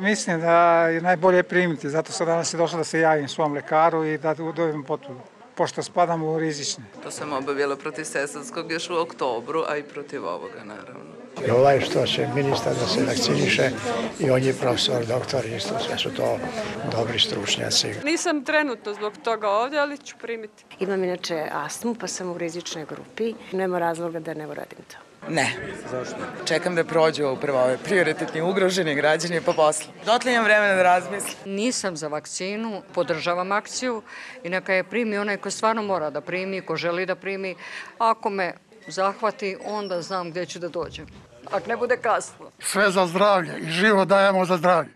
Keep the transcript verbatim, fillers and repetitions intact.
Mislim da je najbolje primiti, zato sam danas je došla da se javim svom lekaru i da dobijem potvrdu, pošto spadam u rizične. To sam obavila protiv Sesarskog još u oktobru, a i protiv ovoga, naravno. I ovaj što će ministar da se vakciniše i on je profesor, doktor, isto sve su to dobri stručnjaci. Nisam trenutno zbog toga ovdje, ali ću primiti. Imam inače astmu, pa sam u rizičnoj grupi. Nema razloga da ne uradim to. Ne. Zašto? Čekam da prođu upravo ove prioritetni ugroženi građani pa posle. Dotle imam vremena da razmislim. Nisam za vakcinu, podržavam akciju i neka je primi onaj ko stvarno mora da primi, ko želi da primi. Ako me zahvati, onda znam gdje ću da dođem. Ako ne bude kasno. Sve za zdravlje i život dajemo za zdravlje.